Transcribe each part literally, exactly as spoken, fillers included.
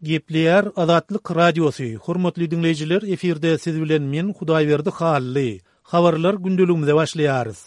Gepleýär Azatlyk Radiosy, Hormatly diňleýjiler, efirde siz bilen men Hudaýberdi Hally. Habarlar gündeligimize başlaýarys.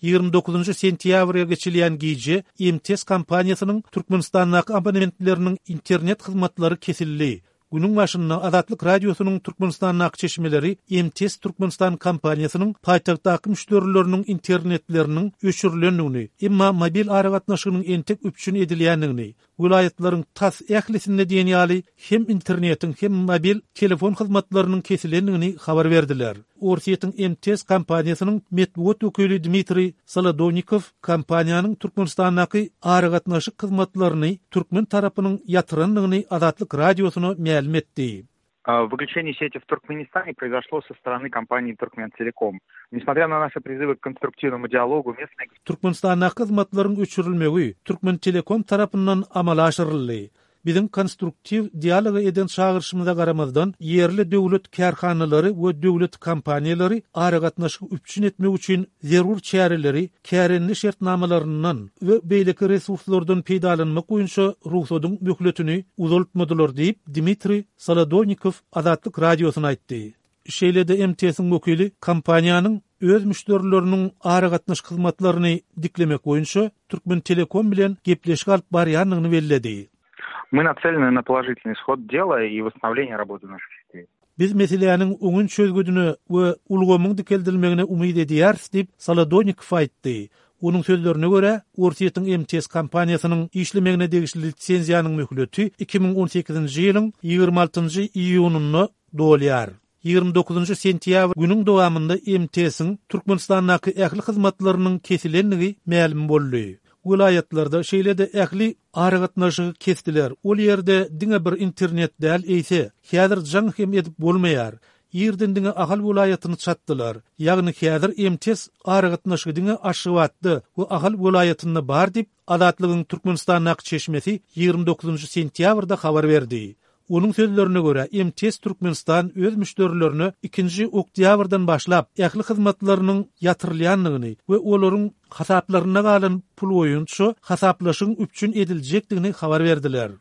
Ýigrimi dokuzynjy sentýabrga geçilýän gije M T S kompaniýasynyň Türkmenistandaky abonentleriniň internet hyzmatlary kesildi. Günüň başynda Azatlyk Radiosynyň Türkmenistandaky çeşmeleri M T S Türkmenistan kompaniýasynyň paýtagtdaky müşderileriniň internetleriniň öçürilendigini, emma mobil aragatnaşygynyň entek üpjün edilýändigini, welaýatlaryň tas ählisinde diýen ýaly hem internetiň hem mobil telefon hyzmatlarynyň kesilendigini habar berdiler. Orsýetiň M T S kompaniýasynyň metbugat wekili Dmitriý Solodownikow kompaniýanyň Türkmenistandaky aragatnaşyk hyzmatlaryny türkmen tarapynyň ýatyrandygyny Azatlyk Radiosyna mälim etdi. Выключение сети в Туркменистане произошло со стороны компании Туркментелеком. Несмотря на наши призывы к конструктивному диалогу, местные Türkmenistandaky hyzmatlaryň öçürilmegi Türkmentelekom tarapyndan amala aşyryldy. Biziň konstruktiw dialoga eden çagyryşymyza garamazdan, ýerli döwlet kärhanalary we döwlet kompaniýalary aragatnaşygy üpjün etmek üçin zerur çäreleri kärende şertnamalaryndan we beýleki resurslardan peýdalanmak boýunça ruhsadyň möhletini uzaltmadylar diýip, Dmitriý Solodownikow Azatlyk Radiosyna aýtdy. Şeýle-de M T S-iň wekili kompaniýanyň öz müşderileriniň aragatnaşyk hyzmatlaryny diklemek boýunça Türkmentelekom bilen gepleşik alyp barýandygyny belledi. Мы нацелены на положительный исход дела и восстановление работы наших сетей. Biz meseläniň oňyn çözgüdine we ulgamyň dikeldilmegine umyt edýäris diýip Solodownikow aýtdy. Onuň sözlerine görä, Orsýetiň M T S kompaniýasynyň işlemegine degişli lisenziýanyň möhleti iki müň on sekizinji ýylyň ýigrimi altynjy iýunynda dolýar. Ýigrimi dokuzynjy sentýabr günüň dowamynda M T S-iň Türkmenistandaky ähli hyzmatlarynyň kesilendigi mälim boldy. Welaýatlarda şeýle-de ähli aragatnaşygy kesdiler. Ol ýerde diňe bir internet däl, eýse, häzir jaň hem edip bolmaýar. Ýerden diňe Ahal welaýatyny çatdylar. Ýagny häzir M T S aragatnaşygy diňe Aşgabatda we Ahal welaýatynda bar diýip Azatlygyň Türkmenistandaky çeşmesi ýigrimi dokuzynjy sentýabrda habar berdi. Onuň sözlerine görä M T S Türkmenistan öz müşderilerine ikinji oktýabrdan başlap ähli hyzmatlarynyň ýatyrylýandygyny we olaryň hasaplaryna galan pul boýunça hasaplaşygyň üpjün ediljekdigini habar berdiler.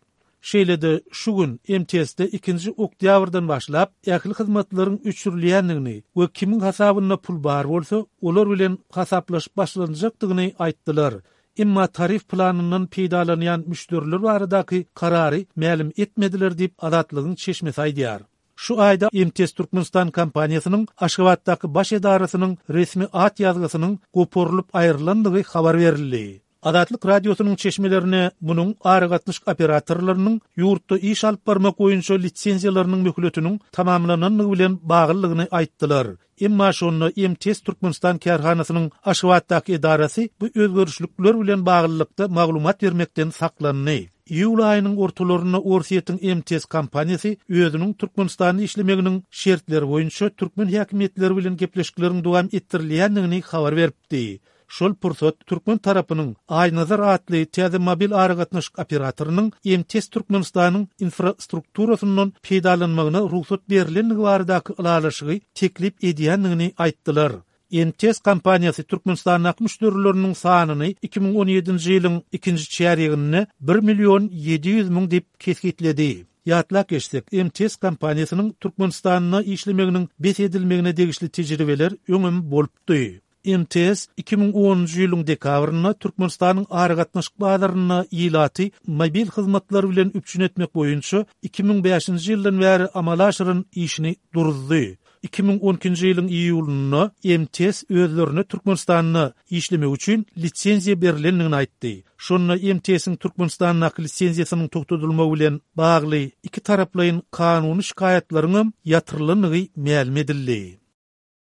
Şeýle-de şu gün M T S-de ikinji oktýabrdan başlap ähli hyzmatlaryň öçürilýändigini we kimiň hasabynda pul bar bolsa, olar bilen hasaplaşyp başlanjakdygyny aýtdylar. Emma tarif planyndan peýdalanýan müşderiler baradaky karary mälim etmediler diýip Azatlygyň çeşmesi aýdýar. Şu aýda M T S Türkmenistan kompaniýasynyň Aşgabatdaky baş edarasynyň resmi at ýazgysynyň goparylyp aýrylandygy habar berildi. Azatlyk Radiosynyň çeşmelerine munuň aragatnaşyk operatorlarynyň ýurtda iş alyp barmak boýunça lisenziýalarynyň möhletiniň tamamlanandygy bilen baglylygyny aýtdylar. Emma şonda M T S Türkmenistan kärhanasynyň Aşgabatdaky edarasy bu özgerişlikler bilen baglylykda maglumat bermekden saklandy. Iýul aýynyň ortalarynda Orsýetiň M T S kompaniýasy özüniň Türkmenistanda işlemeginiň şertleri boýunça türkmen häkimiýetleri bilen gepleşikleriň dowam etdirilýändigini habar beripdi. Şol pursat türkmen tarapynyň Aýnazar atly täze mobil aragatnaşyk operatorynyň M T S Türkmenistanyň infrastrukturasyndan peýdalanmagyna rugsat berilendigi baradaky ylalaşygy teklip edýändigini aýtdylar. M T S kompaniýasy Türkmenistandaky müşderileriniň sanyny iki müň on ýedinji ýylyň ikinji çärýeginde bir million ýedi ýüz müň diýip kesgitledi. Ýatlap geçsek, M T S kompaniýasynyň Türkmenistanda işlemeginiň bes edilmegine degişli tejribeler öňem bolupdy. M T S iki müň onunjy ýylyň dekabrynda Türkmenistanyň aragatnaşyk bazarynda ilaty mobil hyzmatlar bilen üpjün etmek boýunça iki müň bäşinji ýyldan bäri amala aşyran işini duruzdy. Iki müň on ikinji ýylyň iýulynda M T S özlerine Türkmenistanda işlemek üçin lisenziýa berilendigini aýtdy. Şonda M T S-iň Türkmenistandaky lisenziýasynyň togtadylmagy bilen bagly iki taraplaýyn kanuny şikaýatlaryň hem ýatyrylandygy mälim edildi.